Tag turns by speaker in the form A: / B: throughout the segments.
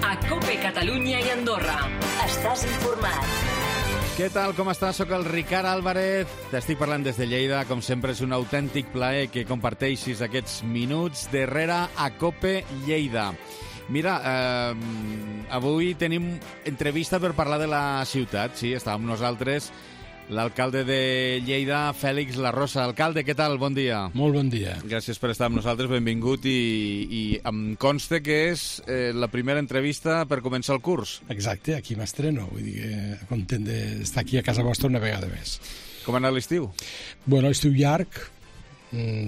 A: a COPE Catalunya i Andorra. Estàs informat.
B: Què tal, com estàs? Soc el Ricard Álvarez. T'estic parlant des de Lleida. Com sempre, és un autèntic plaer que comparteixis aquests minuts darrere a COPE Lleida. Mira, avui tenim entrevista per parlar de la ciutat. Sí, està amb nosaltres l'alcalde de Lleida, Fèlix Larrosa. Alcalde, què tal? Bon dia.
C: Molt bon dia.
B: Gràcies per estar amb nosaltres, benvingut, i em consta que és la primera entrevista per començar el curs.
C: Exacte, aquí m'estreno, vull dir que content d'estar aquí a casa vostra una vegada més.
B: Com ha anat l'estiu?
C: Bueno, estiu llarg,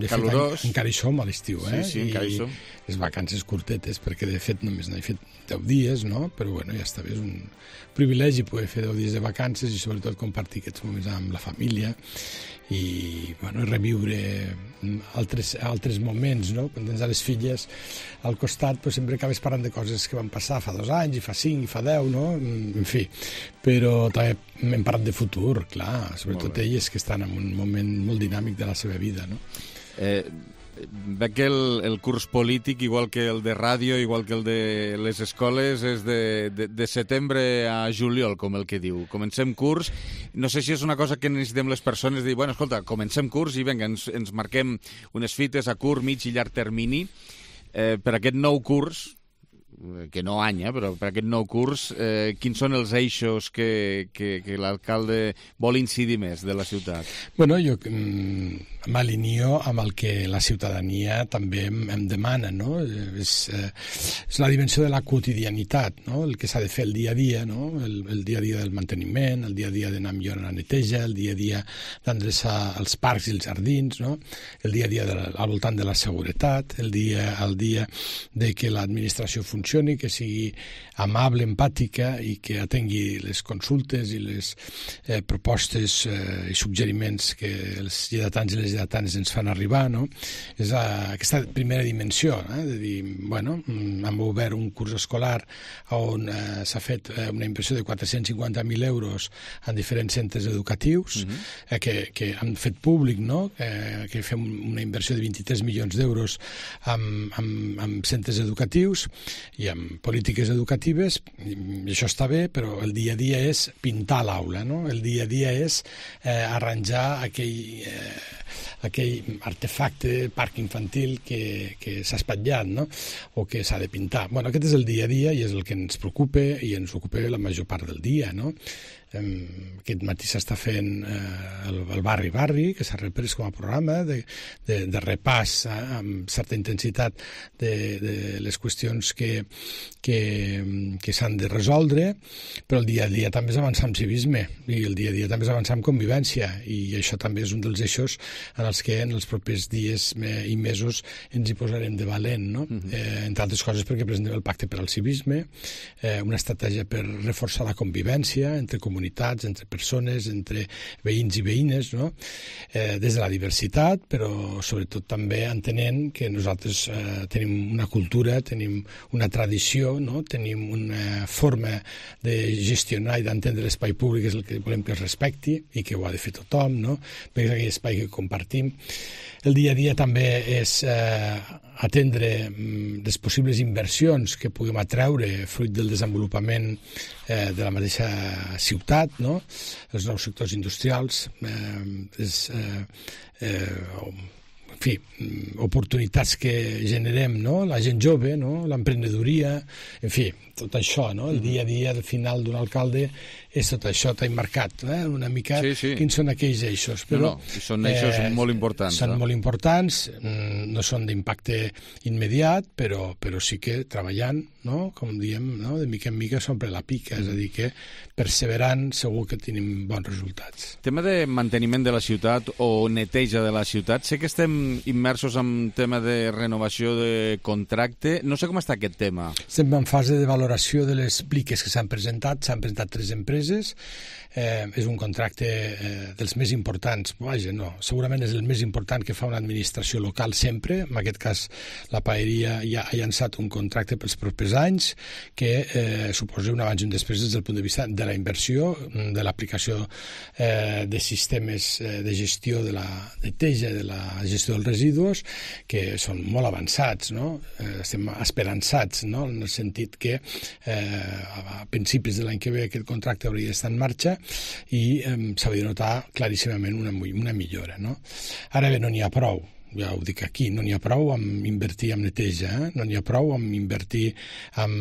B: calorós.
C: Encara hi som a l'estiu,
B: Sí, encara hi som.
C: Les vacances curtetes, perquè de fet només n'he fet 10 dies, no? Però bueno, ja està bé, és un privilegi poder fer 10 dies de vacances i sobretot compartir aquests moments amb la família i bueno, reviure altres moments, no? Quan tens les filles al costat, però sempre acabes parlant de coses que van passar fa 2 anys, i fa 5, i fa 10, no? En fi, però també hem parlat de futur, clar, sobretot elles que estan en un moment molt dinàmic de la seva vida, no?
B: Veig que el curs polític, igual que el de ràdio, igual que el de les escoles, és de setembre a juliol, com el que diu. Comencem curs. No sé si és una cosa que necessitem les persones, dir, bueno, escolta, comencem curs i vinga, ens marquem unes fites a curt, mig i llarg termini. Per aquest nou curs, que no any, però per aquest nou curs, quins són els eixos que l'alcalde vol incidir més de la ciutat?
C: Bueno, jo m'alineo amb el que la ciutadania també em demana, no? És la dimensió de la quotidianitat, no? El que s'ha de fer el dia a dia, no? El dia a dia del manteniment, el dia a dia d'anar millor a la neteja, el dia a dia d'endreçar els parcs i els jardins, no? El dia a dia al voltant de la seguretat, el dia de que l'administració funcioni, que sigui amable, empàtica i que atengui les consultes i les propostes i suggeriments que els lleidatans i les lleidatanes ens fan arribar, no? És aquesta primera dimensió, de dir, bueno, hem obert un curs escolar on s'ha fet una inversió de 450.000 euros en diferents centres educatius que han fet públic, no? Que fem una inversió de 23 milions d'euros en centres educatius i amb polítiques educatives, i això està bé, però el dia a dia és pintar l'aula, no? El dia a dia és arranjar aquell artefacte, parc infantil que s'ha espatllat, no? O que s'ha de pintar. Bueno, aquest és el dia a dia i és el que ens preocupa i ens ocupa la major part del dia, no? Aquest matí s'està fent el Barri, que s'ha reprès com a programa de repàs amb certa intensitat de les qüestions que s'han de resoldre, però el dia a dia també és avançar amb civisme i el dia a dia també és avançar amb convivència, i això també és un dels eixos en els que en els propers dies i mesos ens hi posarem de valent, no? Entre altres coses perquè presentem el pacte per al civisme, una estratègia per reforçar la convivència entre comunitats, entre persones, entre veïns i veïnes, no? Des de la diversitat, però sobretot també entenent que nosaltres tenim una cultura, tenim una tradició, no? Tenim una forma de gestionar i d'entendre l'espai públic, és el que volem que es respecti i que ho ha de fer tothom, no? Perquè és aquell espai que compartim. El dia a dia també és atendre les possibles inversions que puguem atreure fruit del desenvolupament de la mateixa ciutat, no? Els nous sectors industrials, en fi, oportunitats que generem, no? La gent jove, no? L'emprenedoria, en fi, tot això, no? El dia a dia, al final d'un alcalde, és tot això, t'ha marcat, una mica quins són aquells eixos. Però,
B: són eixos molt importants.
C: Són molt importants, no són d'impacte immediat, però sí que treballant, no? Com diem, no? De mica en mica s'omple la pica, és a dir, que perseverant segur que tenim bons resultats.
B: Tema de manteniment de la ciutat o neteja de la ciutat, sé que estem immersos en tema de renovació de contracte. No sé com està aquest tema.
C: Estem en fase de valoració de les pliques que s'han presentat 3 empreses, és un contracte dels més importants, vaja, no, segurament és el més important que fa una administració local sempre. En aquest cas la Paeria ja ha llançat un contracte pels propers anys que suposa un abans i un després des del punt de vista de la inversió, de l'aplicació de sistemes de gestió de la neteja, de la gestió dels residus, que són molt avançats, no? Estem esperançats, no? En el sentit que a principis de l'any que ve aquest contracte hauria d'estar en marxa i s'hauria de notar claríssimament una millora, no? Ara bé, no n'hi ha prou. Ja ho dic aquí, no n'hi ha prou amb invertir en neteja, no n'hi ha prou amb invertir en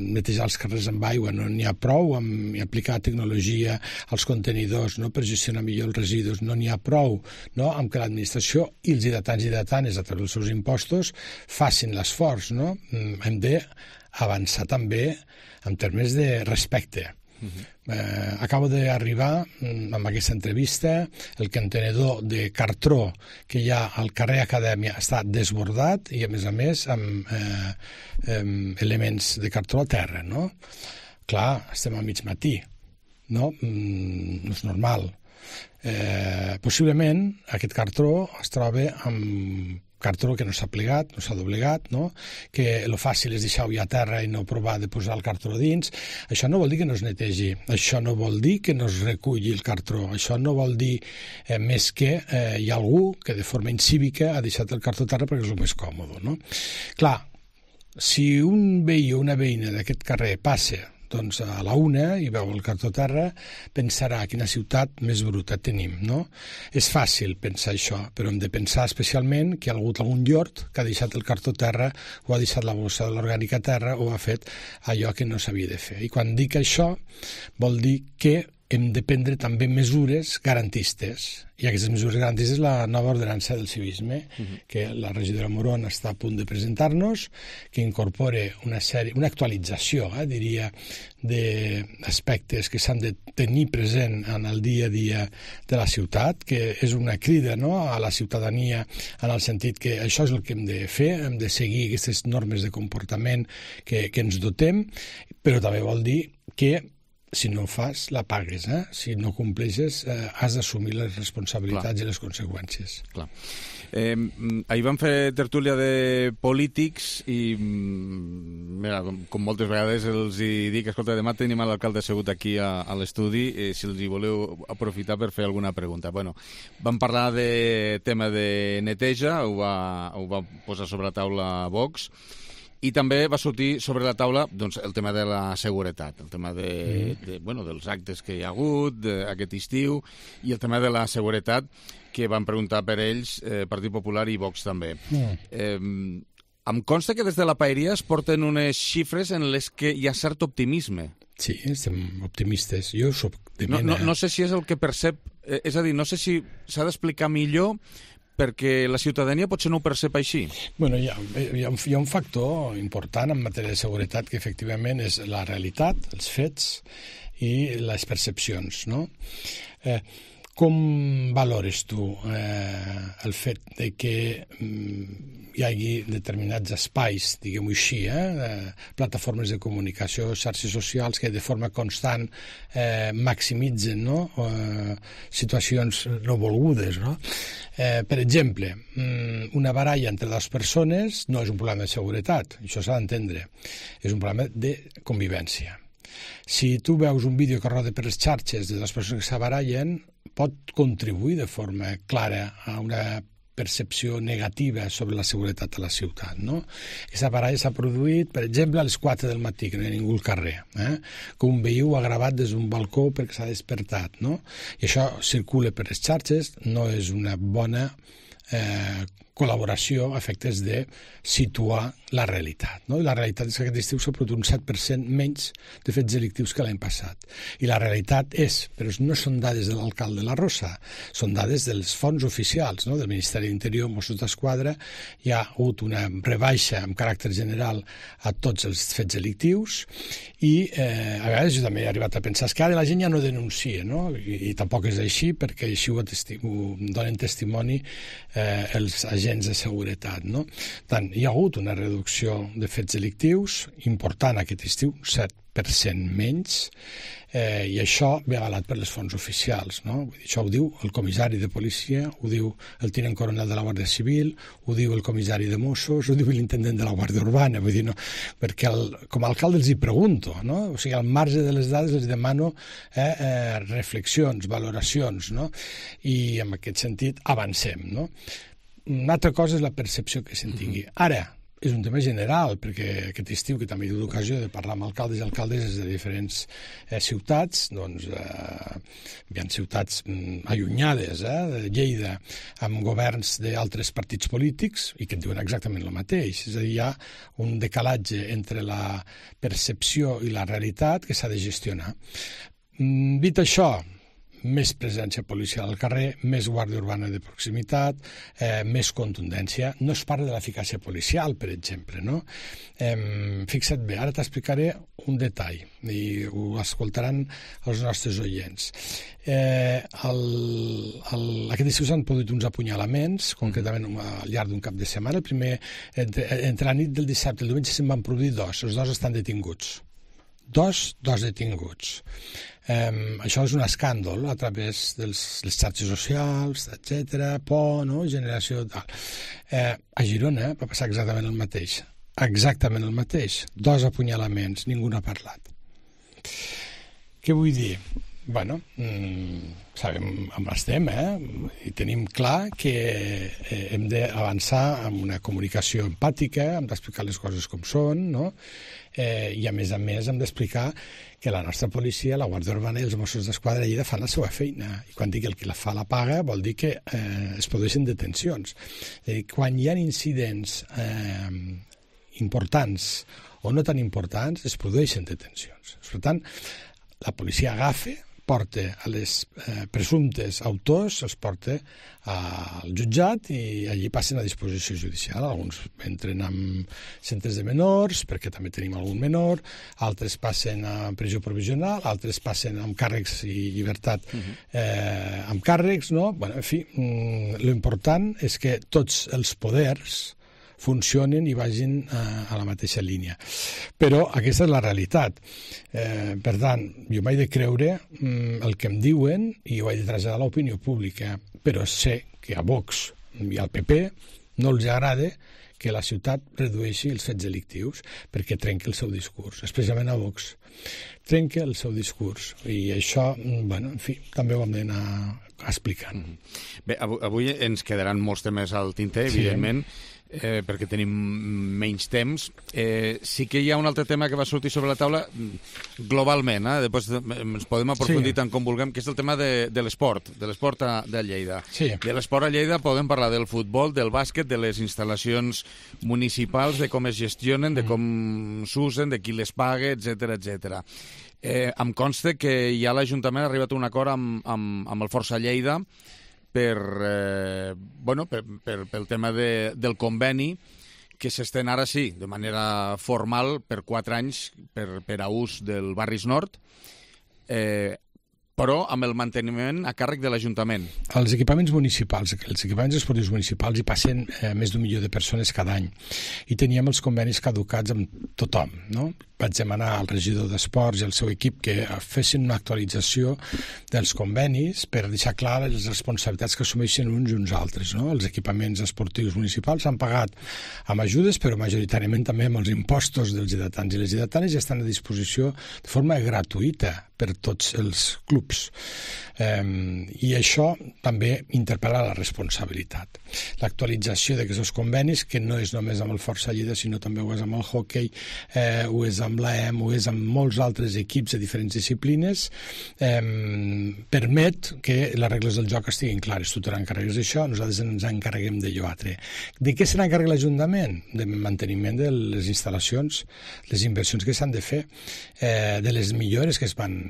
C: netejar els carrers amb aigua, no n'hi ha prou amb aplicar tecnologia als contenidors, no, per gestionar millor els residus, no n'hi ha prou, no, amb que l'administració i els hidratants i hidratanes a través dels seus impostos facin l'esforç, no? Hem d'avançar també en termes de respecte. Acabo d'arribar amb aquesta entrevista. El contenedor de cartró que hi ha al carrer Acadèmia està desbordat i a més amb elements de cartró a terra, no? Clar, estem a mig matí, no? No és normal. Possiblement aquest cartró es troba amb cartró que no s'ha plegat, no s'ha doblegat, no? Que el fàcil és deixar-ho ja a terra i no provar de posar el cartró dins. Això no vol dir que no es netegi, això no vol dir que no es reculli el cartró, això no vol dir més que hi ha algú que de forma incívica ha deixat el cartró a terra perquè és el més còmode, no? Clar, si un veí o una veïna d'aquest carrer passa doncs a la una i veu el cartró a terra, pensarà quina ciutat més bruta tenim, no? És fàcil pensar això, però hem de pensar especialment que hi ha hagut algun llort que ha deixat el cartró a terra o ha deixat la bossa de l'orgànica a terra o ha fet allò que no s'havia de fer. I quan dic això vol dir que hem de prendre també mesures garantistes. I aquestes mesures garantistes la nova ordenança del civisme, que la regidora Moron està a punt de presentar-nos, que incorpora una actualització, diria, d'aspectes que s'han de tenir present en el dia a dia de la ciutat, que és una crida, no?, a la ciutadania en el sentit que això és el que hem de fer, hem de seguir aquestes normes de comportament que ens dotem, però també vol dir que si no ho fas, la pagues, Si no compleixes, has d'assumir les responsabilitats i les conseqüències.
B: Clar. Ahir vam fer tertúlia de polítics i mira, com moltes vegades els hi dic, escolta, demà tenim l'alcalde assegut aquí a l'estudi, si els hi voleu aprofitar per fer alguna pregunta. Bueno, vam parlar de tema de neteja, ho va posar sobre la taula Vox, i també va sortir sobre la taula doncs, el tema de la seguretat, el tema dels actes que hi ha hagut aquest estiu i el tema de la seguretat que van preguntar per ells Partit Popular i Vox també. Em consta que des de la Paeria es porten unes xifres en les que hi ha cert optimisme.
C: Sí, estem optimistes. Jo soc de mena...
B: No sé si és el que percep, és a dir, no sé si s'ha d'explicar millor perquè la ciutadania potser no ho percep així.
C: Bueno, hi ha un factor important en matèria de seguretat que efectivament és la realitat, els fets i les percepcions, no? Com valores tu el fet de que hi hagi determinats espais, diguem-ho així, plataformes de comunicació, xarxes socials que de forma constant maximitzen, no?, situacions no volgudes, no? Per exemple, una baralla entre dues persones no és un problema de seguretat, això s'ha d'entendre, és un problema de convivència. Si tu veus un vídeo que roda per les xarxes de les persones que s'abarallen, pot contribuir de forma clara a una percepció negativa sobre la seguretat a la ciutat, no? Aquesta baralla s'ha produït, per exemple, a les 4 del matí, que no hi ha ningú al carrer, que un veí ho ha gravat des d'un balcó perquè s'ha despertat, no? I això circula per les xarxes, no és una bona col·laboració a efectes de situar la realitat, no? I la realitat és que aquest estiu s'ha produït un 7% menys de fets delictius que l'any passat. I la realitat és, però no són dades de l'alcalde La Rosa, són dades dels fons oficials, no?, del Ministeri d'Interior, Mossos d'Esquadra. Hi ha hagut una rebaixa amb caràcter general a tots els fets delictius i a vegades jo també he arribat a pensar que ara la gent ja no denuncia, no? I tampoc és així, perquè així ho donen testimoni els agents de seguretat, no? Tant, hi ha hagut una reducció de fets delictius important aquest estiu, 7% menys, i això ve avalat per les fonts oficials, no? Vull dir, això ho diu el comissari de policia, ho diu el tinent coronel de la Guàrdia Civil, ho diu el comissari de Mossos, ho diu l'intendent de la Guàrdia Urbana, vull dir, no, perquè com a alcalde els hi pregunto, no? O sigui, al marge de les dades els demano reflexions, valoracions, no? I en aquest sentit avancem, no? una altra cosa és la percepció que se'n tingui. Ara, és un tema general, perquè aquest estiu, que també he tingut l'ocasió de parlar amb alcaldes i alcaldes de diferents ciutats, doncs hi ha ciutats allunyades de Lleida, amb governs d'altres partits polítics, i que et diuen exactament el mateix. És a dir, hi ha un decalatge entre la percepció i la realitat que s'ha de gestionar. Dit això, més presència policial al carrer, més guàrdia urbana de proximitat, més contundència. No es parla de l'eficàcia policial, per exemple, no? Fixa't bé, ara t'explicaré un detall, i ho escoltaran els nostres oients. Aquest estiu s'han produït uns apunyalaments, concretament al llarg d'un cap de setmana. El primer, entre la nit del dissabte i el diumenge se'n van produir dos. Els dos estan detinguts. Dos detinguts. Això és un escàndol a través de les xarxes socials, etc., por, no? Generació tal. A Girona va passar exactament el mateix. Exactament el mateix. Dos apunyalaments, ningú n'ha parlat. Què vull dir? Bueno, sabem on estem, i tenim clar que hem d'avançar amb una comunicació empàtica, hem d'explicar les coses com són, no? I a més hem d'explicar que la nostra policia, la Guàrdia Urbana i els Mossos d'Esquadra de Lleida fan la seva feina, i quan dic el que la fa la paga vol dir que es produeixen detencions. És a dir, quan hi ha incidents importants o no tan importants, es produeixen detencions. Per tant, la policia agafa, porta a les presumptes autors, els porta al jutjat i allí passen a disposició judicial. Alguns entren en centres de menors, perquè també tenim algun menor, altres passen a presó provisional, altres passen amb càrrecs i llibertat amb càrrecs, no? Bueno, en fi, l'important és que tots els poders funcionen i vagin a la mateixa línia. Però aquesta és la realitat. Per tant, jo m'he de creure el que em diuen i ho he de traslladar a l'opinió pública, però sé que a Vox i al PP no els agrada que la ciutat redueixi els fets delictius perquè trenca el seu discurs, especialment a Vox. Trenca el seu discurs i això, bueno, en fi, també ho hem d'anar explicant.
B: Bé, avui ens quedaran molts temes al tinter, evidentment, perquè tenim menys temps. Sí que hi ha un altre tema que va sortir sobre la taula globalment, després ens podem aprofundir tant com vulguem, que és el tema de l'esport, de l'esport de Lleida.
C: Sí.
B: De l'esport a Lleida podem parlar del futbol, del bàsquet, de les instal·lacions municipals, de com es gestionen, de com s'usen, de qui les paga, etc. Em consta que ja l'Ajuntament ha arribat a un acord amb el Força Lleida pel tema del conveni que s'estén ara sí, de manera formal, per 4 anys per a ús del Barris Nord, però amb el manteniment a càrrec de l'Ajuntament.
C: Els equipaments municipals, els equipaments esportius municipals hi passen més d'1 milió de persones cada any i teníem els convenis caducats amb tothom, no? Vaig demanar al regidor d'Esports i al seu equip que fessin una actualització dels convenis per deixar clar les responsabilitats que assumeixen uns i uns altres, no? Els equipaments esportius municipals s'han pagat amb ajudes, però majoritàriament també amb els impostos dels lleidatans i les lleidatanes i estan a disposició de forma gratuïta per tots els clubs. I això també interpel·la la responsabilitat. L'actualització d'aquests convenis, que no és només amb el Força Lleida, sinó també ho és amb el hoquei, ho és amb l'AEM, ho és amb molts altres equips de diferents disciplines, permet que les regles del joc estiguin clares. Tu te n'encarregues d'això, nosaltres ens encarreguem d'allò altre. De què se n'encarrega l'Ajuntament? De manteniment de les instal·lacions, les inversions que s'han de fer, de les millores que es van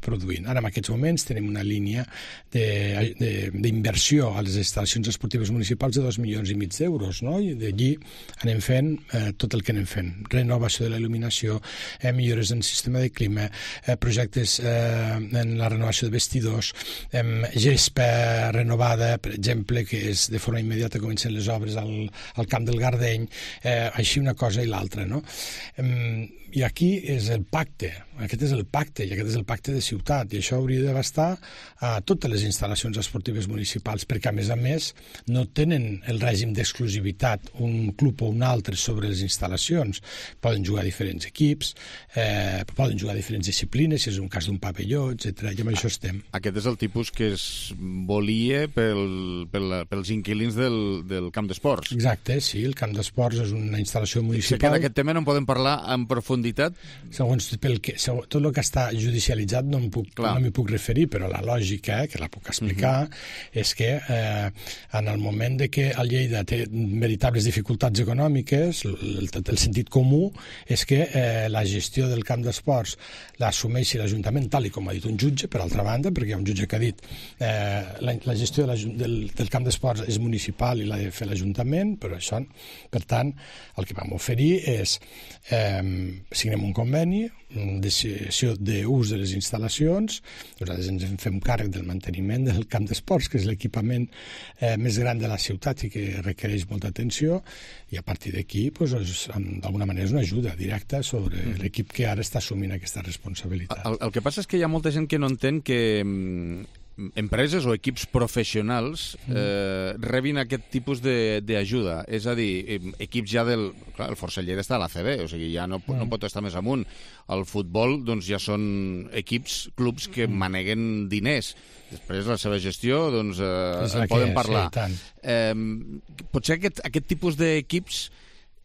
C: produint. Ara, en aquests moments, tenim una línia d'inversió a les instal·lacions esportives municipals de 2,5 milions d'euros, no? I d'allí anem fent tot el que anem fent. Renovació de la il·luminació, millores en el sistema de clima, projectes en la renovació de vestidors, gespa renovada, per exemple, que és de forma immediata comencen les obres al Camp del Gardeny, així una cosa i l'altra, no? I aquí és el pacte, aquest és el pacte, i aquest és el pacte de ciutat, i això hauria d'abastar a totes les instal·lacions esportives municipals, perquè a més no tenen el règim d'exclusivitat un club o un altre sobre les instal·lacions. Poden jugar diferents equips, equips, poden jugar diferents disciplines, si és un cas d'un pavelló, etc. I amb això estem.
B: Aquest és el tipus que es volia pels inquilins del camp d'esports.
C: Exacte, sí, el camp d'esports és una instal·lació municipal.
B: Sé que d'aquest tema no en podem parlar en profunditat.
C: Segons tot el que està judicialitzat no m'hi puc referir, però la lògica, que la puc explicar, és que en el moment de que el Lleida té veritables dificultats econòmiques, el sentit comú és que la gestió del camp d'esports l'assumeixi l'Ajuntament, tal i com ha dit un jutge, per altra banda, perquè hi ha un jutge que ha dit la gestió del camp d'esports és municipal i l'ha de fer l'Ajuntament, però això, per tant, el que vam oferir és signem un conveni, una decisió d'ús de les instal·lacions, nosaltres ens en fem càrrec del manteniment del camp d'esports, que és l'equipament més gran de la ciutat i que requereix molta atenció, i a partir d'aquí, d'alguna manera, és una ajuda directa sobre l'equip que ara està assumint aquesta responsabilitat.
B: El que passa és que hi ha molta gent que no entén que empreses o equips professionals rebin aquest tipus d'ajuda. És a dir, equips ja del... Clar, el Força Lleida està a l'ACB, o sigui, ja no pot estar més amunt. El futbol, doncs, ja són equips, clubs que maneguen diners. Després, la seva gestió, doncs, en poden parlar.
C: Sí,
B: potser aquest tipus d'equips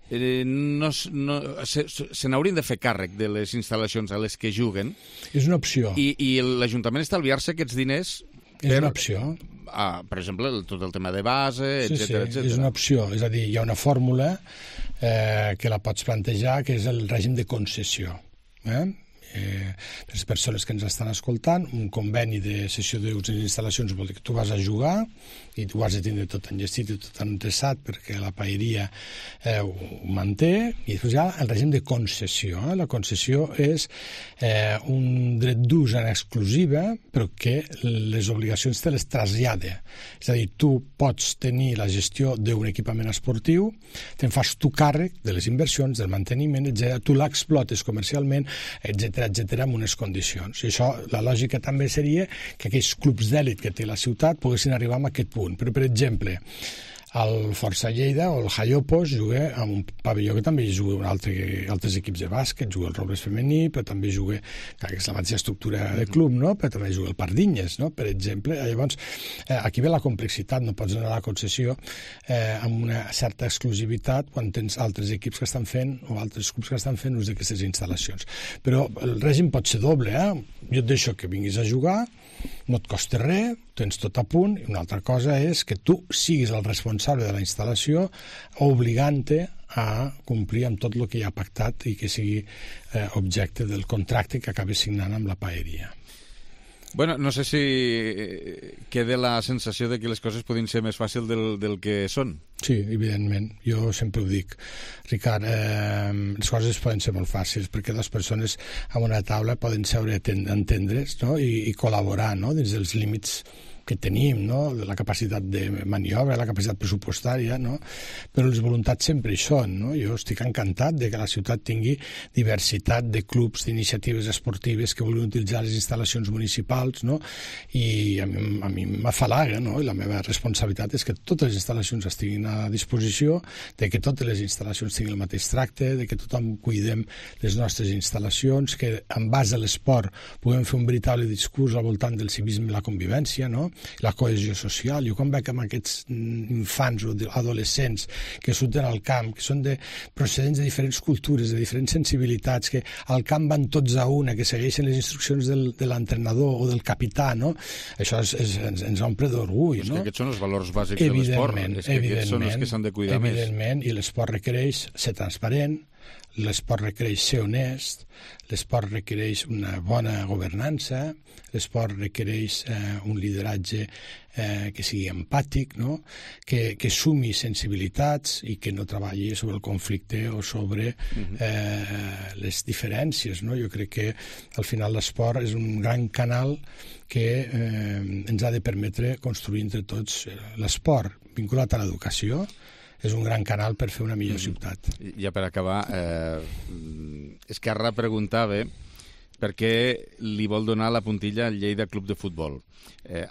B: se n'haurien de fer càrrec de les instal·lacions a les que juguen.
C: És una opció.
B: I l'Ajuntament estalviar-se aquests diners
C: és una opció.
B: Per exemple, tot el tema de base, etcètera.
C: És una opció. És a dir, hi ha una fórmula que la pots plantejar, que és el règim de concessió. Per les persones que ens estan escoltant, un conveni de cessió d'ús de les instal·lacions vol dir que tu vas a jugar i tu has de tindre tot enllestit i tot endreçat perquè la paeria ho manté, i després hi ha el règim de concessió. La concessió és un dret d'ús en exclusiva, però que les obligacions te les trasllada. És a dir, tu pots tenir la gestió d'un equipament esportiu, te'n fas tu càrrec de les inversions, del manteniment, etc. Tu l'explotes comercialment, etc, amb unes condicions. I això, la lògica també seria que aquells clubs d'èlit que té la ciutat poguessin arribar a aquest punt. Però, per exemple, el Força Lleida o el Jaiopos juga en un pavelló que també juga altres equips de bàsquet, juga el Robles femení, però també juga, que és la mateixa estructura de club, no? Però també juga el Pardinyes, no? Per exemple. Llavors, aquí ve la complexitat, no pots anar a la concessió amb una certa exclusivitat quan tens altres equips que estan fent o altres clubs que estan fent ús d'aquestes instal·lacions. Però el règim pot ser doble, Jo et deixo que vinguis a jugar, no et costa res, tens tot a punt, i una altra cosa és que tu siguis el responsable de la instal·lació obligant-te a complir amb tot el que hi ha pactat i que sigui objecte del contracte que acabes signant amb la paeria.
B: Bueno, no sé si queda la sensació de que les coses podin ser més fàcils del que són.
C: Sí, evidentment. Jo sempre ho dic. Ricard, les coses poden ser molt fàcils perquè dues persones a una taula poden seure a entendre's, no? I col·laborar, no? Dins dels límits que tenim, no? La capacitat de maniobra, la capacitat pressupostària, no? Però les voluntats sempre hi són, no? Jo estic encantat de que la ciutat tingui diversitat de clubs, d'iniciatives esportives que vulguin utilitzar les instal·lacions municipals, no? I a mi m'afalaga, no? I la meva responsabilitat és que totes les instal·lacions estiguin a disposició, de que totes les instal·lacions tinguin el mateix tracte, de que tothom cuidem les nostres instal·lacions, que en base a l'esport puguem fer un veritable discurs al voltant del civisme i la convivència, no? La cohesió social. Jo quan veig amb aquests infants o adolescents que surten al camp, que són procedents de diferents cultures, de diferents sensibilitats, que al camp van tots a una, que segueixen les instruccions de l'entrenador o del capità, no? Això ens omple d'orgull, no?
B: Aquests són els valors bàsics de l'esport. Aquests són els que s'han de cuidar més.
C: Evidentment, i l'esport requereix ser transparent, l'esport requereix ser honest, l'esport requereix una bona governança, l'esport requereix un lideratge que sigui empàtic, no? Que sumi sensibilitats i que no treballi sobre el conflicte o sobre les diferències, no? Jo crec que al final l'esport és un gran canal que ens ha de permetre construir entre tots l'esport vinculat a l'educació. És un gran canal per fer una millor ciutat.
B: Ja per acabar, Esquerra preguntava per què li vol donar la puntilla al Lleida Club de Futbol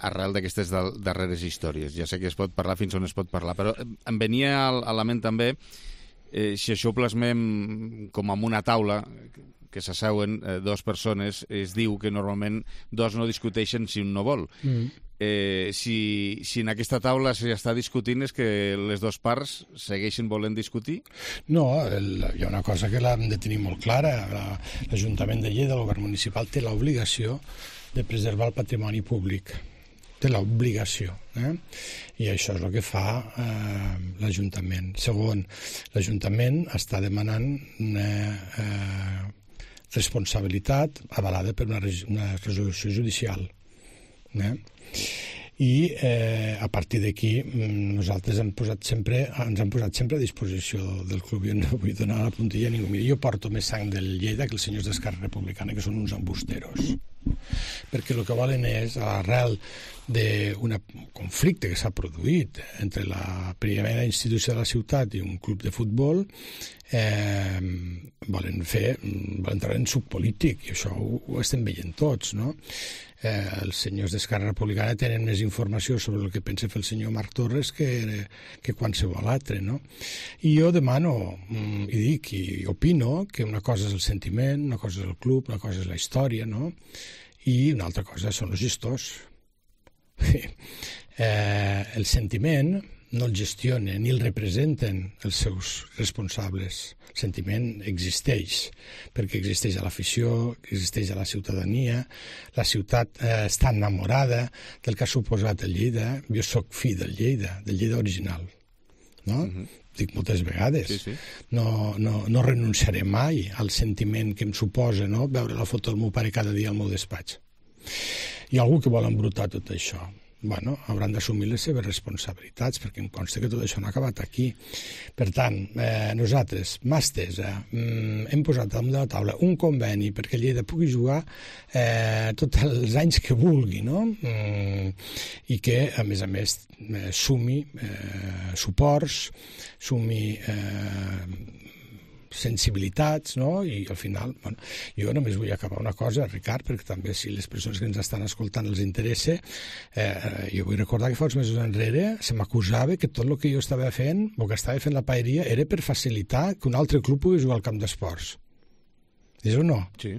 B: arrel d'aquestes darreres històries. Ja sé que es pot parlar fins on es pot parlar, però em venia a la ment també si això ho plasmem com en una taula que s'asseuen dues persones, es diu que normalment dos no discuteixen si un no vol. Si en aquesta taula s'està discutint és que les dues parts segueixen volent discutir?
C: No, hi ha una cosa que l'hem de tenir molt clara. L'Ajuntament de Lleida, el govern municipal, té l'obligació de preservar el patrimoni públic. Té l'obligació. I això és el que fa l'Ajuntament. Segon, l'Ajuntament està demanant una responsabilitat avalada per una resolució judicial. I a partir d'aquí nosaltres ens hem posat sempre a disposició del club. Jo no vull donar la puntilla a ningú. Mira, jo porto més sang del Lleida que els senyors d'Esquerra Republicana, que són uns embusteros, perquè el que volen és, a l'arrel d'un conflicte que s'ha produït entre la primera institució de la ciutat i un club de futbol, volen entrar en suc polític, i això ho estem veient tots, no? Els senyors d'Esquerra Republicana tenen més informació sobre el que pensa fer el senyor Marc Torres que qualsevol altre, no? I jo demano, i dic, i opino que una cosa és el sentiment, una cosa és el club, una cosa és la història, no? I una altra cosa són els gestors. El sentiment no el gestionen ni el representen els seus responsables. El sentiment existeix, perquè existeix a l'afició, existeix a la ciutadania, la ciutat està enamorada del que ha suposat el Lleida. Jo soc fill del Lleida original, no? Dic moltes vegades.
B: Sí.
C: No renunciaré mai al sentiment que em suposa, no?, veure la foto del meu pare cada dia al meu despatx. Hi ha algú que vol embrutar tot això. Bueno, hauran d'assumir les seves responsabilitats, perquè em consta que tot això no ha acabat aquí. Per tant, nosaltres, mà estesa, hem posat damunt de la taula un conveni perquè Lleida pugui jugar tots els anys que vulgui, no? I que, a més, sumi suports, sumi sensibilitats, no? I al final, bueno, jo només vull acabar una cosa, Ricard, perquè també si les persones que ens estan escoltant els interessa, jo vull recordar que fa uns mesos enrere se m'acusava que tot el que jo estava fent, o que estava fent la paeria, era per facilitar que un altre club pogués jugar al camp d'esports. És o no?
B: Sí.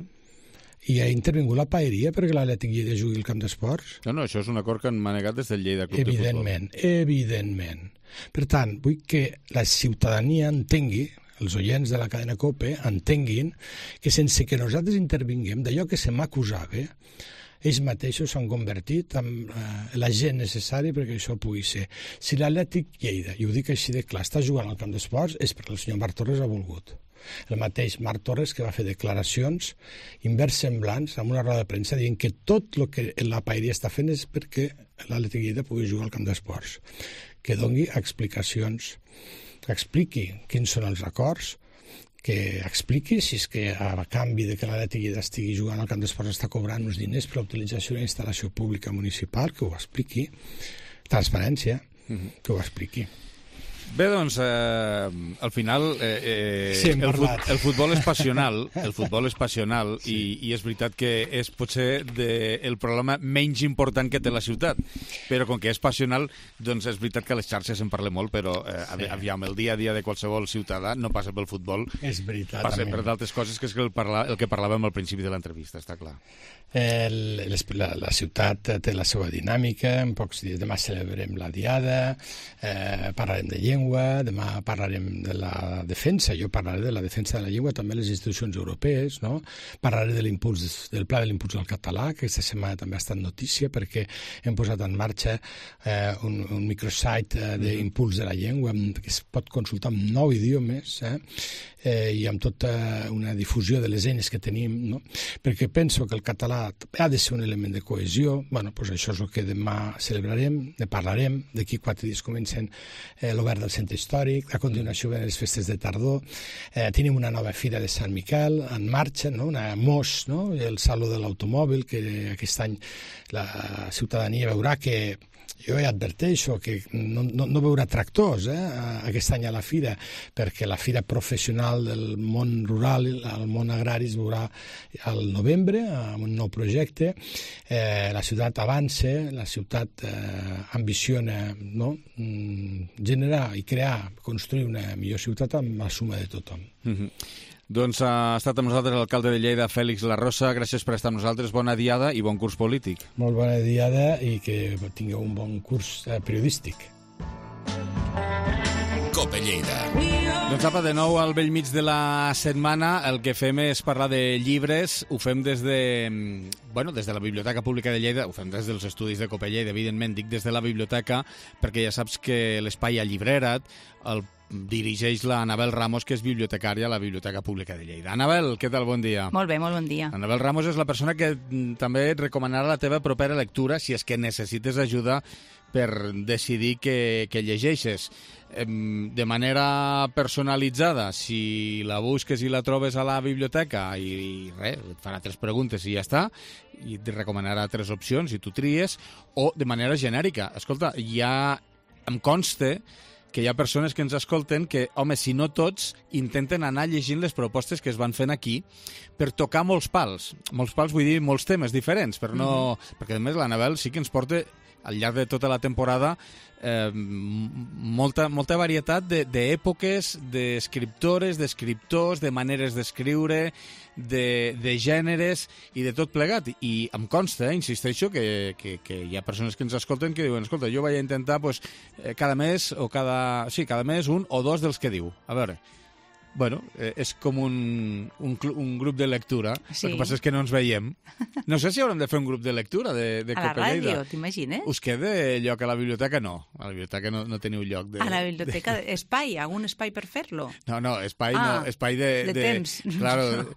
C: I ha intervingut la paeria perquè l'Atlètic Lleida jugui al camp d'esports?
B: No, això és un acord que han manegat des del Lleida Club de Futbol.
C: Evidentment. Per tant, vull que la ciutadania entengui, els oients de la cadena COPE entenguin que sense que nosaltres intervinguem d'allò que se m'acusava, ells mateixos s'han convertit en la gent necessària perquè això pugui ser. Si l'Atlètic Lleida, i ho dic així de clar, està jugant al camp d'esports és perquè el senyor Marc Torres ha volgut. El mateix Marc Torres que va fer declaracions inversemblants en una roda de premsa dient que tot el que la paeria està fent és perquè l'Atlètic Lleida pugui jugar al camp d'esports. Que doni explicacions, que expliqui quins són els acords, que expliqui si és que a canvi de que l'Atlètic Lleida estigui jugant al camp d'esports està cobrant uns diners per l'utilització d'una instal·lació pública municipal, que ho expliqui. Transparència, que ho expliqui.
B: Bé, doncs, al final el futbol és passional, i és veritat que és potser el problema menys important que té la ciutat, però com que és passional, doncs és veritat que a les xarxes en parlem molt, però aviam, el dia a dia de qualsevol ciutadà no passa pel futbol,
C: és veritat,
B: passa per d'altres coses, que és el que parlàvem al principi de l'entrevista, està clar.
C: La ciutat té la seva dinàmica, en pocs dies demà celebrem la Diada, parlarem de llengua, demà parlarem de la defensa, jo parlaré de la defensa de la llengua, també les institucions europees, no? Parlaré del pla de l'impuls del català, que aquesta setmana també ha estat notícia, perquè hem posat en marxa un microsite d'impuls de la llengua que es pot consultar en 9 idiomes, i amb tota una difusió de les eines que tenim, no? Perquè penso que el català ha de ser un element de cohesió. Bueno, doncs això és el que demà celebrarem, ne parlarem, d'aquí 4 dies comencen l'obert del centre històric, a continuació venen les festes de tardor, tenim una nova fira de Sant Miquel en marxa, no? Una MOS, no? El Saló de l'Automòbil, que aquest any la ciutadania veurà que jo ja adverteixo que no veurà tractors aquest any a la fira, perquè la fira professional del món rural, el món agrari, es veurà al novembre amb un nou projecte. La ciutat avança, la ciutat ambiciona, no? Generar i crear, construir una millor ciutat amb la suma de tothom.
B: Doncs ha estat amb nosaltres l'alcalde de Lleida, Fèlix Larrosa. Gràcies per estar amb nosaltres. Bona diada i bon curs polític.
C: Molt bona diada i que tingueu un bon curs periodístic.
D: Cope Lleida.
B: Doncs apa, de nou al bell mig de la setmana. El que fem és parlar de llibres. Ho fem des de la Biblioteca Pública de Lleida, ho fem des dels estudis de Cope Lleida, evidentment, dic des de la biblioteca, perquè ja saps que l'espai Alllibrera't el dirigeix la Anabel Ramos, que és bibliotecària a la Biblioteca Pública de Lleida. Anabel, què tal? Bon dia.
E: Molt bé, molt bon dia.
B: Anabel Ramos és la persona que també et recomanarà la teva propera lectura si és que necessites ajuda per decidir què llegeixes. De manera personalitzada, si la busques i la trobes a la biblioteca i res, et farà 3 preguntes i ja està, i et recomanarà 3 opcions i tu tries, o de manera genèrica. Escolta, em consta que hi ha persones que ens escolten que, home, si no tots, intenten anar llegint les propostes que es van fent aquí per tocar molts pals. Molts pals vull dir molts temes diferents, però no... Perquè, a més, l'Anabel sí que ens porta al llarg de tota la temporada molta varietat d'èpoques, d'escriptores, d'escriptors, de maneres d'escriure, de gèneres i de tot plegat. I em consta, insisteixo, que hi ha persones que ens escolten que diuen, escolta, jo vaig a intentar cada mes un o 2 dels que diu. A veure, bueno, és com un grup de lectura. Sí. El que passa és que no ens veiem. No sé si haurem de fer un grup de lectura de Cope Lleida.
E: A la ràdio, t'imagines?
B: Us queda lloc a la biblioteca? No. A la biblioteca no teniu lloc.
E: A la biblioteca, espai? Algun espai per fer-lo?
B: No, espai no. Espai de temps. Claro,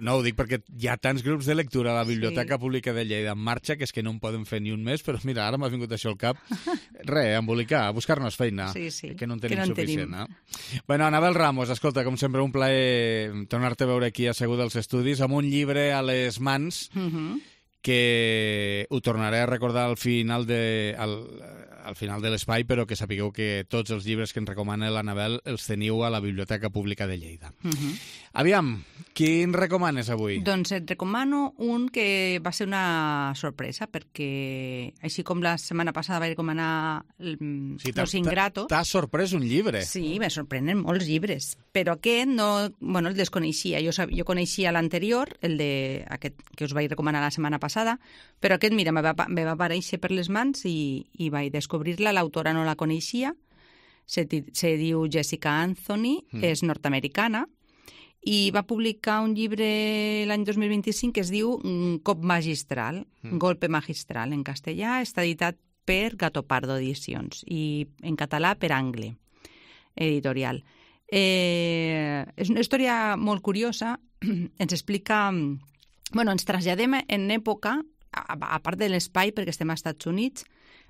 B: no, ho dic perquè hi ha tants grups de lectura a la Biblioteca Pública de Lleida en marxa que és que no en poden fer ni un mes, però mira, ara m'ha vingut això al cap. Embolicar, buscar-nos feina, que no en tenim suficient. Bueno, Anabel Ramos, escolta, com sempre, un plaer tornar-te a veure aquí asseguda als estudis amb un llibre a les mans que ho tornaré a recordar al final de l'espai, però que sapigueu que tots els llibres que ens recomana l'Anabel els teniu a la Biblioteca Pública de Lleida. Aviam, quin recomanes avui?
E: Doncs et recomano un que va ser una sorpresa, perquè així com la setmana passada vaig recomanar Los Ingratos...
B: T'ha sorprès un llibre?
E: Sí, me sorprenen molts llibres, però aquest el desconeixia. Jo coneixia l'anterior, aquest que us vaig recomanar la setmana passada, però aquest, mira, me va aparèixer per les mans i vaig descobrir-la. L'autora no la coneixia, se diu Jessica Anthony, és nord-americana, i va publicar un llibre l'any 2025 que es diu Cop magistral, Golpe magistral en castellà. Està editat per Gato Pardo Edicions i en català per Angle Editorial. És una història molt curiosa. Ens explica... ens traslladem en època, a part de l'espai, perquè estem als Estats Units,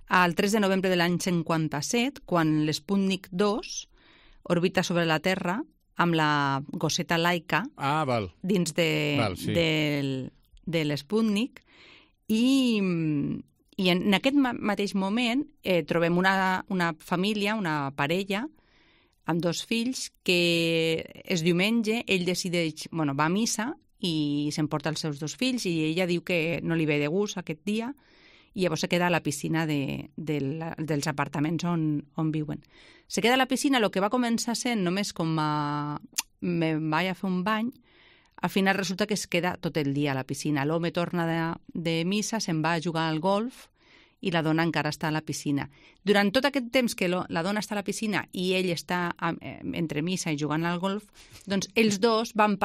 E: al 3 de novembre de l'any 57, quan l'Sputnik 2 orbita sobre la Terra amb la gosseta Laika dins de l'Sputnik, i en aquest mateix moment trobem una família, una parella, amb 2 fills, que és diumenge, ell decideix, va a missa i s'emporta els seus 2 fills, i ella diu que no li ve de gust aquest dia, i llavors se queda a la piscina dels apartaments on viuen. Se queda a la piscina, el que va començar sent només com me vaig a fer un bany, al final resulta que es queda tot el dia a la piscina. L'home torna de missa, se'n va a jugar al golf i la dona encara està a la piscina. Durant tot aquest temps que la dona està a la piscina i ell està entre missa i jugant al golf, doncs ells dos van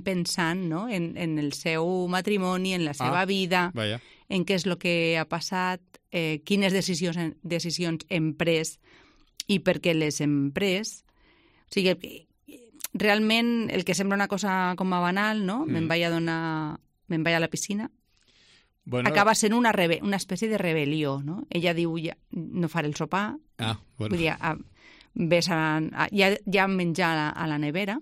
E: pensant, no?, en el seu matrimoni, en la seva vida, en què és el que ha passat, quines decisions hem pres i per què les hem pres. O sigui, realment el que sembla una cosa com a banal, no? Me'n vaig a la piscina. Acaba sent una espècie de rebel·lió, no? Ella diu, no faré el sopar, vull dir, hi ha menjar a la nevera,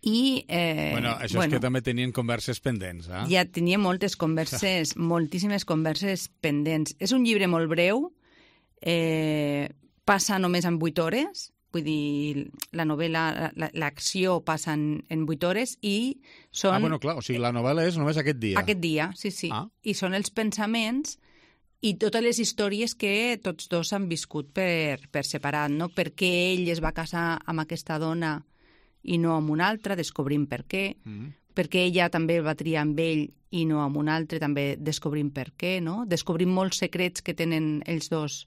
E: i...
B: això és que també tenien converses pendents, eh?
E: Ja tenia moltíssimes converses pendents. És un llibre molt breu, passa només en 8 hores, vull dir, la novel·la, l'acció passa en 8 hores i són...
B: bueno, clar, o sigui, la novel·la és només aquest dia.
E: Aquest dia, sí. I són els pensaments i totes les històries que tots dos han viscut per separat, no? Per què ell es va casar amb aquesta dona i no amb una altra, descobrim per què, perquè ella també va triar amb ell i no amb un altre, també descobrim per què, no? Descobrim molts secrets que tenen els dos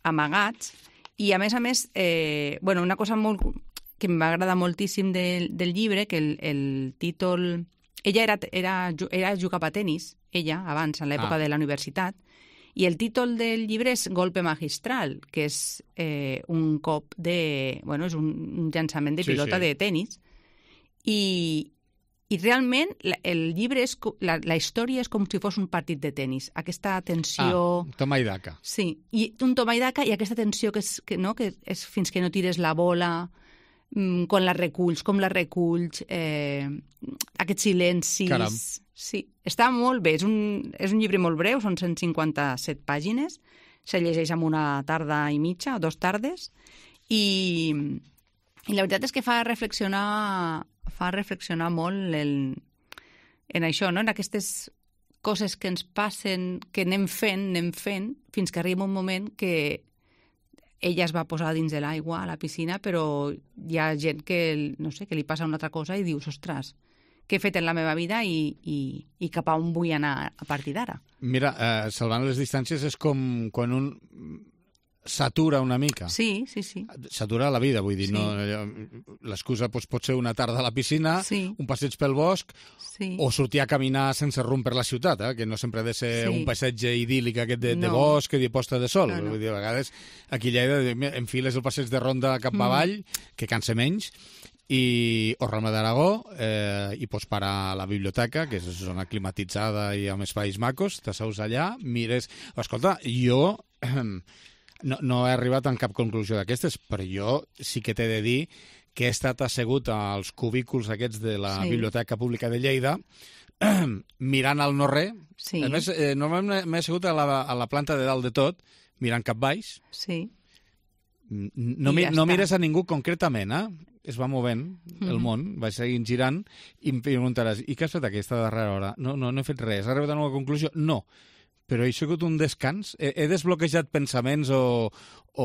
E: amagats. I, a més, una cosa que em va agradar moltíssim del llibre, que el títol... Ella era jugava a tenis, ella, abans, en l'època de la universitat, i el títol del llibre és Golpe magistral, que és un cop de... és un llançament de pilota de tenis. I realment el llibre és... La història és com si fos un partit de tenis. Aquesta tensió...
B: Toma i daca.
E: Sí, i un toma i daca i aquesta tensió que és fins que no tires la bola, com la reculls, aquests silencis...
B: Caram.
E: Sí, està molt bé. És un llibre molt breu, són 157 pàgines, se llegeix en una tarda i mitja, o 2 tardes, i la veritat és que fa reflexionar molt en això, no? En aquestes coses que ens passen, que anem fent, fins que arriba un moment que ella es va posar dins de l'aigua a la piscina, però hi ha gent que, no sé, que li passa una altra cosa i dius, ostres, què he fet en la meva vida i cap a on vull anar a partir d'ara.
B: Mira, salvant les distàncies és com quan un s'atura una mica.
E: Sí.
B: S'atura la vida, vull dir.
E: Sí.
B: No, l'excusa pot ser una tarda a la piscina, un passeig pel bosc, o sortir a caminar sense rumb per la ciutat, que no sempre ha de ser un passeig idíl·lic aquest de bosc i de posta de sol. Vull dir, a vegades aquí a Lleida enfiles el passeig de ronda cap avall, que cansa menys, o Rama d'Aragó, i pots parar a la biblioteca, que és una zona climatitzada i amb espais macos, t'asseus allà, mires... Escolta, jo no he arribat a cap conclusió d'aquestes, però jo sí que t'he de dir que he estat assegut als cubículs aquests de la Biblioteca Pública de Lleida, mirant al no-res. Sí. A més, normalment m'he assegut a la planta de dalt de tot, mirant cap baix.
E: Sí.
B: No mires a ningú concretament, es va movent el món, va seguint girant, i em preguntaràs, i què has fet aquesta darrera hora? No he fet res, has arribat a una conclusió? No, però he sigut un descans, he desbloquejat pensaments o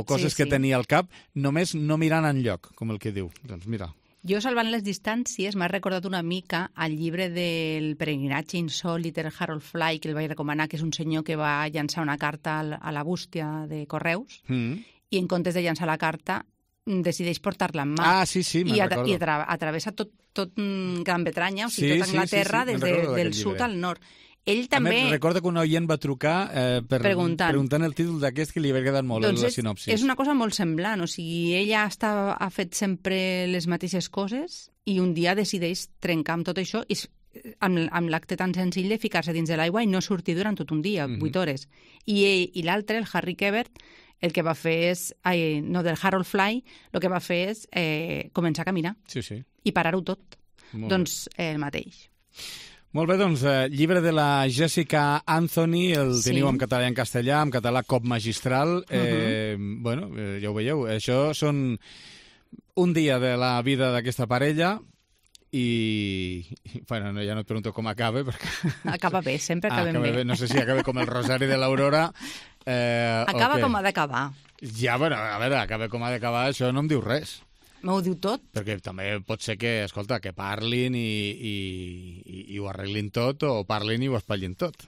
B: coses que tenia al cap, només no mirant enlloc, com el que diu. Doncs mira.
E: Jo, salvant les distàncies, m'ha recordat una mica al llibre del peregrinatge insòlit de Harold Fly, que el vaig recomanar, que és un senyor que va llançar una carta a la bústia de correus, i en comptes de llançar la carta decideix portar-la en mà.
B: Sí, me'n recordo.
E: I atravessa tot Gran Bretanya, o sigui, tota Anglaterra, des del sud al nord. Ell també...
B: A més, recorda que un oient va trucar preguntant el títol d'aquest, que li havia quedat molt la sinopsis.
E: És una cosa molt semblant, o sigui, ella ha fet sempre les mateixes coses i un dia decideix trencar amb tot això i amb l'acte tan senzill de ficar-se dins de l'aigua i no sortir durant tot un dia, 8 hores. I l'altre, el Harry Quebert, el que va fer és... del Harold Fly, el que va fer és començar a caminar.
B: Sí.
E: I parar-ho tot. Doncs el mateix.
B: Molt bé, doncs, llibre de la Jessica Anthony, el teniu en català i en castellà, en català Cop magistral. Ja ho veieu, això són un dia de la vida d'aquesta parella i ja no et pregunto com acaba, perquè...
E: Acaba bé, sempre acabem bé.
B: No sé si acaba com el Rosari de l'Aurora.
E: Acaba com ha d'acabar.
B: Ja, a veure, acaba com ha d'acabar, això no em diu res.
E: M'ho diu tot.
B: Perquè també pot ser que, escolta, que parlin i ho arreglin tot, o parlin i ho espatllin tot.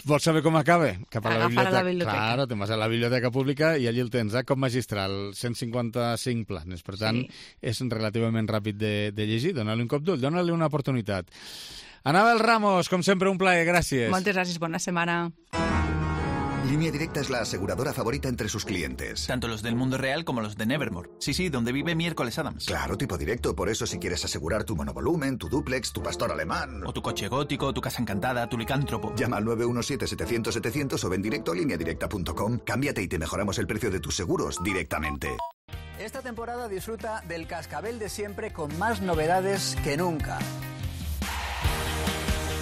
B: Vols saber com acaba? Cap a la biblioteca. Claro, te'n vas a la biblioteca pública i allí el tens, com magistral, 155 planes. Per tant, és relativament ràpid de llegir. Dóna-li un cop d'ull, dóna-li una oportunitat. Anabel Ramos, com sempre, un plaer, gràcies.
E: Moltes gràcies, bona setmana.
D: Línea Directa es la aseguradora favorita entre sus clientes.
F: Tanto los del mundo real como los de Nevermore. Sí, donde vive Miércoles Adams.
D: Claro, tipo directo. Por eso si quieres asegurar tu monovolumen, tu dúplex, tu pastor alemán...
F: O tu coche gótico, tu casa encantada, tu licántropo.
D: Llama al 917-700-700 o ven directo a lineadirecta.com. Cámbiate y te mejoramos el precio de tus seguros directamente.
G: Esta temporada disfruta del cascabel de siempre con más novedades que nunca.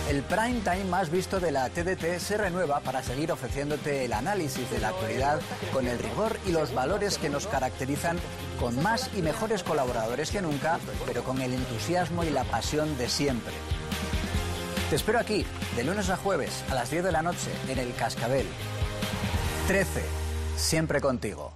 G: El prime time más visto de la TDT se renueva para seguir ofreciéndote el análisis de la actualidad con el rigor y los valores que nos caracterizan, con más y mejores colaboradores que nunca, pero con el entusiasmo y la pasión de siempre. Te espero aquí, de lunes a jueves, a las 10 de la noche, en El Cascabel. 13. Siempre contigo.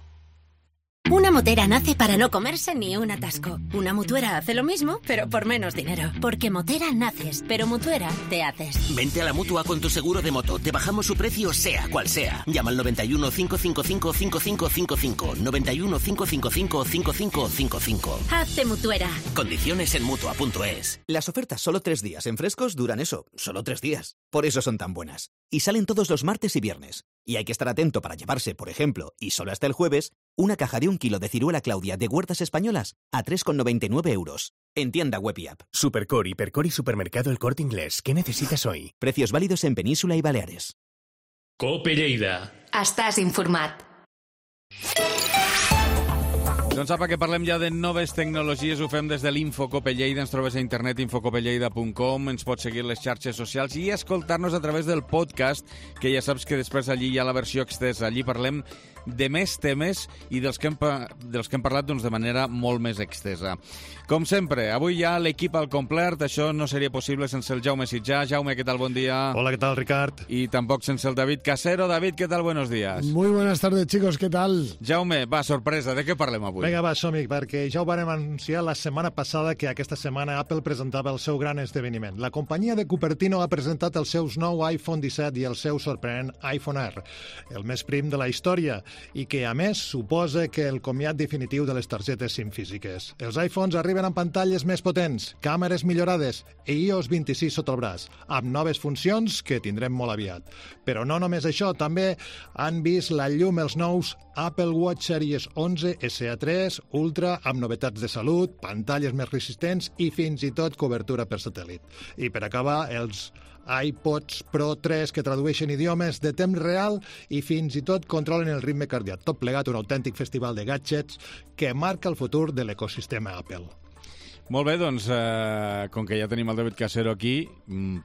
H: Una motera nace para no comerse ni un atasco. Una mutuera hace lo mismo, pero por menos dinero. Porque motera naces, pero mutuera te haces.
I: Vente a la Mutua con tu seguro de moto. Te bajamos su precio sea cual sea. Llama al 91 555 5555. 91 555 5555.
H: Hazte mutuera.
I: Condiciones en Mutua.es.
J: Las ofertas solo 3 días en Frescos duran eso, solo 3 días. Por eso son tan buenas. Y salen todos los martes y viernes. Y hay que estar atento para llevarse, por ejemplo, y solo hasta el jueves, una caja de 1 kilo de ciruela Claudia de Huertas Españolas a 3,99 euros. En tienda web y app.
K: Supercore, Hipercore y Supermercado El Corte Inglés. ¿Qué necesitas hoy?
J: Precios válidos en Península y Baleares.
L: Cope Lleida.
A: Estàs informat.
B: Doncs apa, que parlem ja de noves tecnologies, ho fem des de l'Infocope Lleida, ens trobes a internet infocopelleida.com, ens pots seguir les xarxes socials i escoltar-nos a través del podcast, que ja saps que després allí hi ha la versió extensa, allí parlem de més temes i dels que hem parlat doncs, de manera molt més extensa. Com sempre, avui hi ha l'equip al complet, això no seria possible sense el Jaume Sitjà. Jaume, ¿qué tal? Buen día.
M: Hola, ¿qué tal, Ricard?
B: Y tampoco sense el David Casero. David, ¿qué tal? Buenos días.
N: Muy buenas tardes, chicos, ¿qué tal?
B: Jaume, va, sorpresa, de què parlem avui?
M: Vinga, va, som-hi, perquè ja ho vàrem anunciar la setmana passada que aquesta setmana Apple presentava el seu gran esdeveniment. La companyia de Cupertino ha presentat els seus nou iPhone 17 i el seu sorprenent iPhone R, el més prim de la història, i que, a més, suposa que el comiat definitiu de les targetes SIM físiques. Els iPhones arriben amb pantalles més potents, càmeres millorades i iOS 26 sota el braç, amb noves funcions que tindrem molt aviat. Però no només això, també han vist la llum els nous Apple Watch Series 11 SE3 Ultra amb novetats de salut, pantalles més resistents i fins i tot cobertura per satèl·lit. I per acabar, els iPods Pro 3 que tradueixen idiomes de temps real i fins i tot controlen el ritme cardíac. Tot plegat un autèntic festival de gadgets que marca el futur de l'ecosistema Apple.
B: Molt bé, doncs, com que ja tenim el David Casero aquí,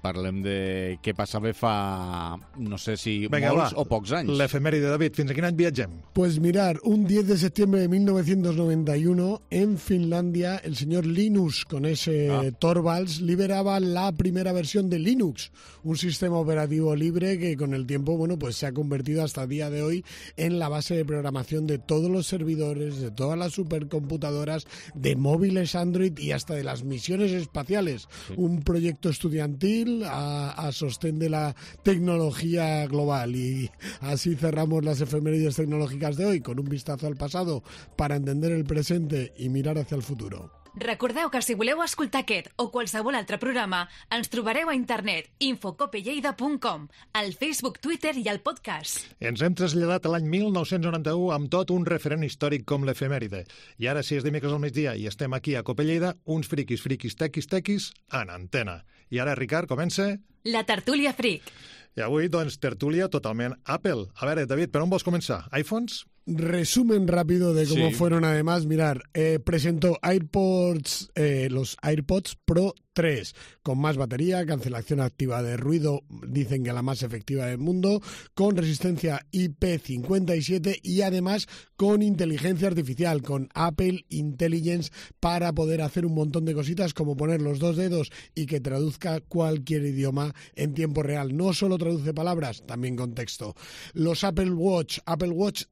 B: parlem de què passava fa, no sé si molts o pocs anys.
M: L'efemèride, David, fins a quin any viatgem?
N: Pues mirar, un 10 de septiembre de 1991, en Finlandia, el señor Linus, con ese Torvalds, liberaba la primera versión de Linux, un sistema operativo libre que con el tiempo, bueno, pues se ha convertido hasta el día de hoy en la base de programación de todos los servidores, de todas las supercomputadoras, de móviles Android y hasta de las misiones espaciales. Sí. Un proyecto estudiantil a sostén de la tecnología global. Y así cerramos las efemérides tecnológicas de hoy, con un vistazo al pasado para entender el presente y mirar hacia el futuro.
O: Recordeu que si voleu escoltar aquest o qualsevol altre programa, ens trobareu a internet infocopelleida.com, al Facebook, Twitter i al podcast.
M: Ens hem traslladat a l'any 1991 amb tot un referent històric com l'efemèride. I ara, si és dimecres al migdia i estem aquí a Cope Lleida, uns friquis, tequis, en antena. I ara, Ricard, comença...
O: La tertúlia fric.
M: I avui, doncs, tertúlia totalment Apple. A veure, David, per on vols començar? iPhones?
N: Resumen rápido de cómo fueron además. Mirar, presentó los AirPods Pro 3, con más batería, cancelación activa de ruido, dicen que la más efectiva del mundo, con resistencia IP57 y además con inteligencia artificial, con Apple Intelligence, para poder hacer un montón de cositas como poner los 2 dedos y que traduzca cualquier idioma en tiempo real. No solo traduce palabras, también contexto. Los Apple Watch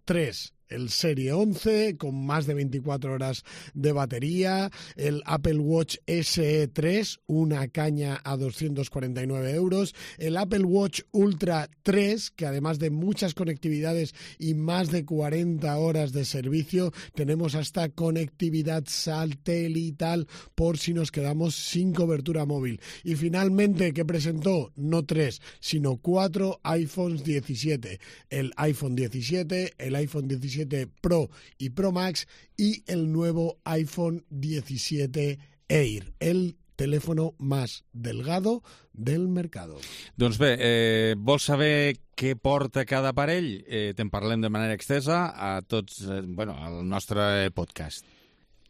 N: 3, el Serie 11 con más de 24 horas de batería, el Apple Watch SE3, una caña a 249 euros, el Apple Watch Ultra 3, que además de muchas conectividades y más de 40 horas de servicio, tenemos hasta conectividad satelital por si nos quedamos sin cobertura móvil. Y finalmente, ¿qué presentó? No 3, sino 4 iPhones 17. El iPhone 17, el iPhone 17 Pro y Pro Max y el nuevo iPhone 17 Air, el teléfono más delgado del mercado.
B: Doncs bé, vols saber què porta cada aparell? Te'n parlem de manera extensa a tots, al nostre podcast.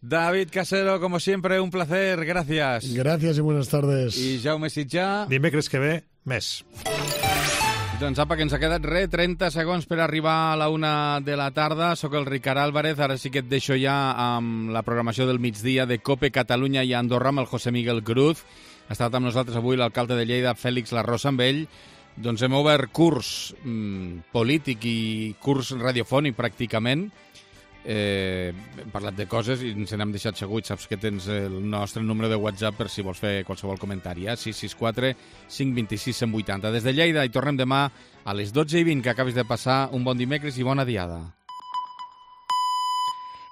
B: David Casero, como siempre, un placer, gracias.
N: Gracias y buenas tardes.
B: I Jaume Sitjà.
M: Dimecres que ve, més.
B: Doncs apa, que ens ha quedat 30 segons per arribar a la 1 de la tarda. Soc el Ricard Álvarez, ara sí que et deixo ja amb la programació del migdia de COPE Catalunya i Andorra amb el José Miguel Cruz. Ha estat amb nosaltres avui l'alcalde de Lleida, Fèlix Larrosa, amb ell. Doncs hem obert curs polític i curs radiofònic pràcticament. Hem parlat de coses i ens n'hem deixat seguits. Saps que tens el nostre número de WhatsApp per si vols fer qualsevol comentari. 664 526 180. Des de Lleida i tornem demà a les 12:20, que acabis de passar un bon dimecres i bona diada.